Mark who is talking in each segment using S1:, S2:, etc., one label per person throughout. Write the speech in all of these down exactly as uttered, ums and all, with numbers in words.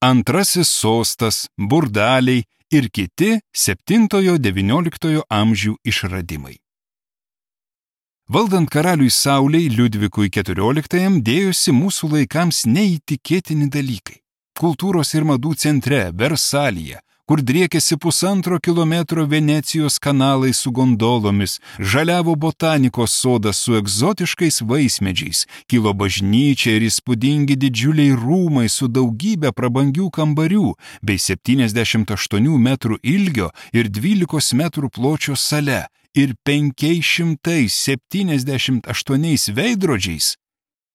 S1: antrasis sostas, burdaliai ir kiti septintojo-devynioliktojo amžių išradimai. Valdant karaliui Saulei Liudvikui keturioliktajam dėjosi mūsų laikams neįtikėtini dalykai. Kultūros ir madų centre, Versalyje, kur driekėsi pusantro kilometro Venecijos kanalai su gondolomis, žaliavo botanikos sodas su egzotiškais vaismedžiais, kilo bažnyčia ir įspūdingi didžiuliai rūmai su daugybė prabangių kambarių bei septyniasdešimt aštuonių metrų ilgio ir dvylikos metrų pločio sale ir penkiais šimtais septyniasdešimt aštuoniais veidrodžiais,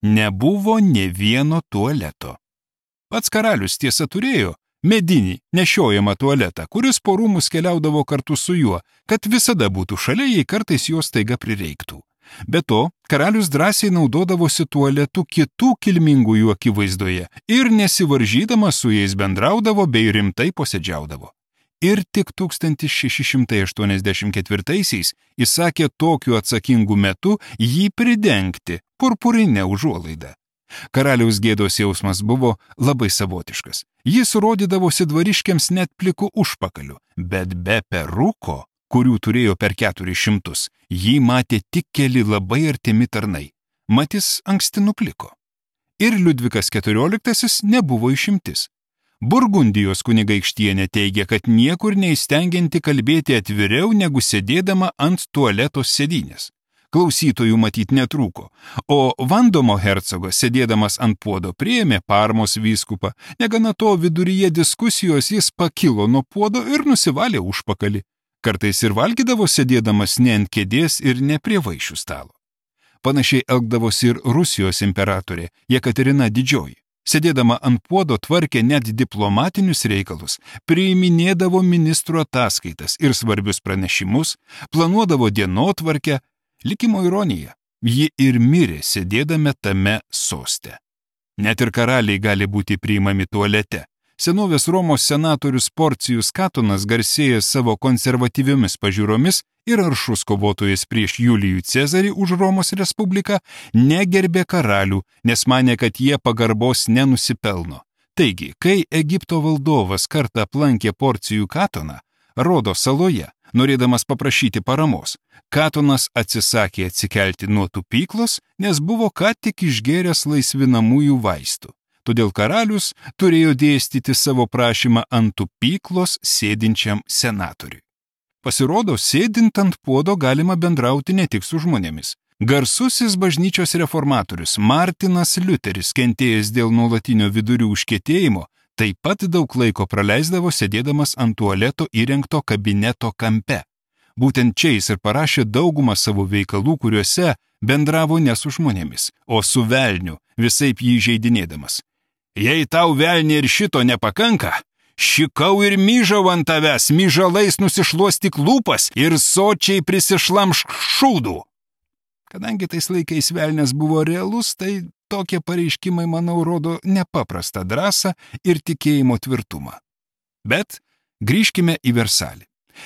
S1: nebuvo nė vieno tualeto. Pats karalius tiesa turėjo medinį nešiojamą tualetą, kuris po rūmus keliaudavo kartu su juo, kad visada būtų šalia, jei kartais jos staiga prireiktų. Be to, karalius drąsiai naudodavosi tualetu kitų kilmingųjų akivaizdoje ir nesivaržydamas su jais bendraudavo bei rimtai posėdžiaudavo. Ir tik tūkstantis šeši šimtai aštuoniasdešimt ketvirtaisiais įsakė tokiu atsakingu metu jį pridengti purpurinę užuolaidą. Karaliaus gėdos jausmas buvo labai savotiškas. Jis rodydavosi dvariškiams net pliku užpakaliu, bet be peruko, kurių turėjo per keturis šimtus, jį matė tik keli labai artimi tarnai. Mat jis anksti nupliko. Ir Liudvikas keturioliktasis nebuvo išimtis. Burgundijos kunigaikštienė teigia, kad niekur neįstengianti kalbėti atviriau negu sėdėdama ant tualeto sėdynės. Klausytojų matyt netrūko, o Vandomo hercogas, sėdėdamas ant puodo, priėmė Parmos vyskupą. Negana to, viduryje diskusijos jis pakilo nuo puodo ir nusivalė užpakalį. Kartais ir valgydavo sėdėdamas ne ant kėdės ir ne prie vaišių stalo. Panašiai elgdavosi ir Rusijos imperatorė Jekaterina Didžioji. Sėdėdama ant puodo tvarkė net diplomatinius reikalus, priiminėdavo ministrų ataskaitas ir svarbius pranešimus, planuodavo dienotvarkę. Likimo ironija, ji ir mirė sėdėdame tame soste. Net ir karaliai gali būti priimami tualete. Senovės Romos senatorius Porcijus Katonas garsėjęs savo konservatyviomis pažiūromis ir aršus kovotojas prieš Julijų Cezarį už Romos Respubliką negerbė karalių, nes manė, kad jie pagarbos nenusipelno. Taigi, kai Egipto valdovas kartą aplankė Porcijų Katoną, Rodo saloje, norėdamas paprašyti paramos, Katonas atsisakė atsikelti nuo tupyklos, nes buvo ką tik išgėręs laisvinamųjų vaistų. Todėl karalius turėjo dėstyti savo prašymą ant tupyklos sėdinčiam senatoriui. Pasirodo, sėdint ant puodo galima bendrauti ne tik su žmonėmis. Garsusis bažnyčios reformatorius Martinas Liuteris, kentėjęs dėl nuolatinio vidurių užkietėjimo, taip pat daug laiko praleisdavo sėdėdamas ant tualeto įrengto kabineto kampe. Būtent čia jis ir parašė daugumą savo veikalų, kuriuose bendravo ne su žmonėmis, o su velniu, visaip jį žeidinėdamas. Jei tau velnė ir šito nepakanka, šikau ir myžau ant tavęs, myžalais nusišluostyk lūpas ir sočiai prisišlamšk šūdų. Kadangi tais laikais velnės buvo realus, tai tokie pareiškimai, manau, rodo nepaprastą drąsą ir tikėjimo tvirtumą. Bet grįžkime į Versalį.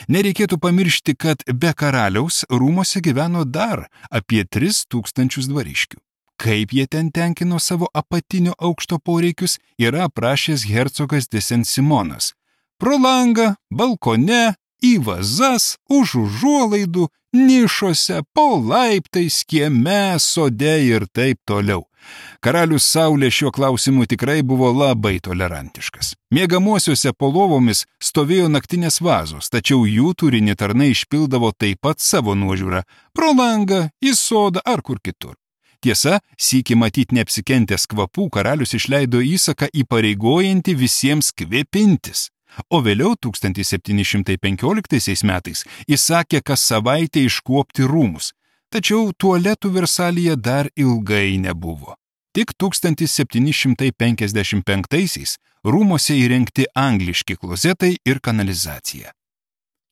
S1: Nereikėtų pamiršti, kad be karaliaus rūmose gyveno dar apie tris tūkstančius dvariškių. Kaip jie ten tenkino savo apatinio aukšto poreikius, yra aprašęs hercogas de Saint-Simonas. Pro langą, balkone, į vazas, už užuolaidų, nišose, po laiptais, kieme, sode ir taip toliau. Karalius Saulė šiuo klausimu tikrai buvo labai tolerantiškas. Miegamuosiuose po lovomis stovėjo naktinės vazos, tačiau jų turinį tarnai išpildavo taip pat savo nuožiūrą, pro langą, į sodą ar kur kitur. Tiesa, sykį matyt neapsikentęs kvapų, karalius išleido įsaką įpareigojantį visiems kvėpintis. O vėliau tūkstantis septyni šimtai penkioliktaisiais metais įsakė kas savaitę iškuopti rūmus. Tačiau tualetų Versalyje dar ilgai nebuvo. Tik tūkstantis septyni šimtai penkiasdešimt penktaisiais rūmose įrengti angliški klozetai ir kanalizacija.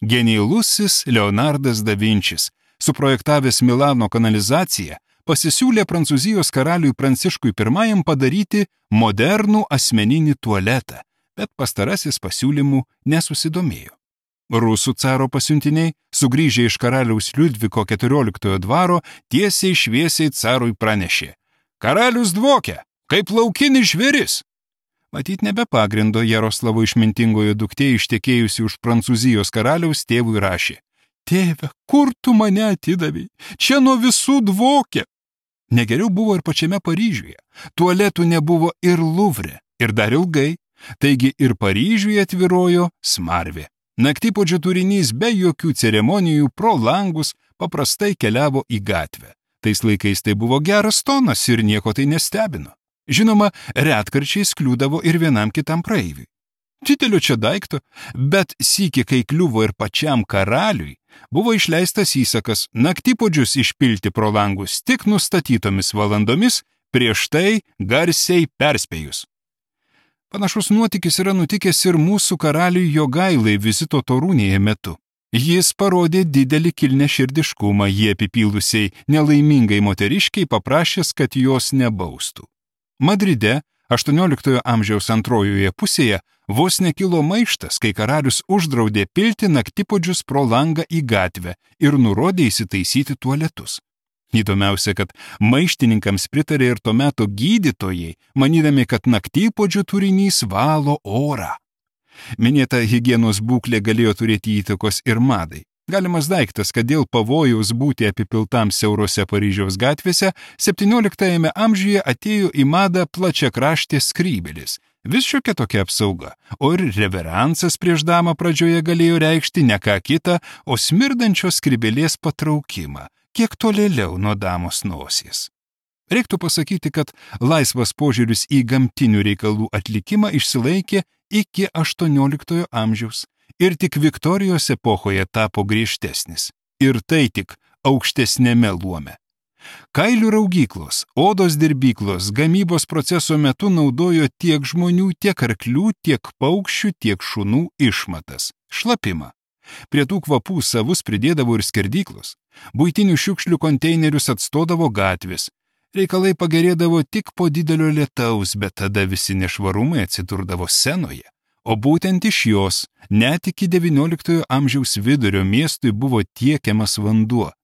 S1: Genialusis Leonardas da Vinčis, suprojektavęs Milano kanalizaciją, pasisiūlė Prancūzijos karaliui Pranciškui pirmajam padaryti modernų asmeninį tualetą, bet pastarasis pasiūlymų nesusidomėjo. Rusų caro pasiuntiniai, sugrįžę iš karaliaus Liudviko keturioliktojo dvaro, tiesiai šviesiai carui pranešė: karalius dvokia, kaip laukinis žvėris. Matyt, nebe pagrindo Jaroslavo išmintingojo duktė ištekėjusi už Prancūzijos karaliaus tėvui rašė: Tėve, kur tu mane atidavei? Čia nuo visų dvokia. Negeriau buvo ir pačiame Paryžiuje. Tualetų nebuvo ir Luvre, ir dar ilgai. Taigi ir Paryžiuje atvirojo smarvė. Naktipodžio turinys be jokių ceremonijų pro langus paprastai keliavo į gatvę. Tais laikais tai buvo geras tonas ir nieko tai nestebino. Žinoma, retkarčiais kliūdavo ir vienam kitam praeiviui. Didelio čia daikto, bet sykį, kai kliuvo ir pačiam karaliui, buvo išleistas įsakas naktipodžius išpilti pro langus tik nustatytomis valandomis, prieš tai garsiai perspėjus. Panašus nuotykis yra nutikęs ir mūsų karaliui Jogailai vizito Torūnėje metu. Jis parodė didelį kilniaširdiškumą jį apipylusiai nelaimingai moteriškiai, paprašęs, kad jos nebaustų. Madride, aštuonioliktojo amžiaus antrojoje pusėje, vos nekilo maištas, kai karalius uždraudė pilti naktipodžius pro langą į gatvę ir nurodė įsitaisyti tualetus. Įdomiausia, kad maištininkams pritarė ir to meto gydytojai, manydami, kad naktipodžių turinys valo orą. Minėta higienos būklė galėjo turėti įtakos ir madai. Galimas daiktas, kad dėl pavojaus būti apipiltam siaurose Paryžiaus gatvėse, septynioliktajame amžiuje atėjo į madą plačiakraštės skrybėlis. Vis šiokia tokia apsauga, o ir reveransas prieš damą pradžioje galėjo reikšti ne ką kitą, o smirdančios skrybėlės patraukimą, kiek tolėliau nuo damos nosies. Reiktų pasakyti, kad laisvas požiūris į gamtinių reikalų atlikimą išsilaikė iki aštuonioliktojo amžiaus ir tik Viktorijos epochoje tapo griežtesnis. Ir tai tik aukštesnėme luome. Kailių raugyklos, odos dirbyklos gamybos proceso metu naudojo tiek žmonių, tiek arklių, tiek paukščių, tiek šunų išmatas – šlapimą. Prie tų kvapų savus pridėdavo ir skerdyklos. Buitinių šiukšlių konteinerius atstodavo gatvės. Reikalai pagerėdavo tik po didelio lietaus, bet tada visi nešvarumai atsidurdavo Senoje. O būtent iš jos net iki devynioliktojo amžiaus vidurio miestui buvo tiekiamas vanduo.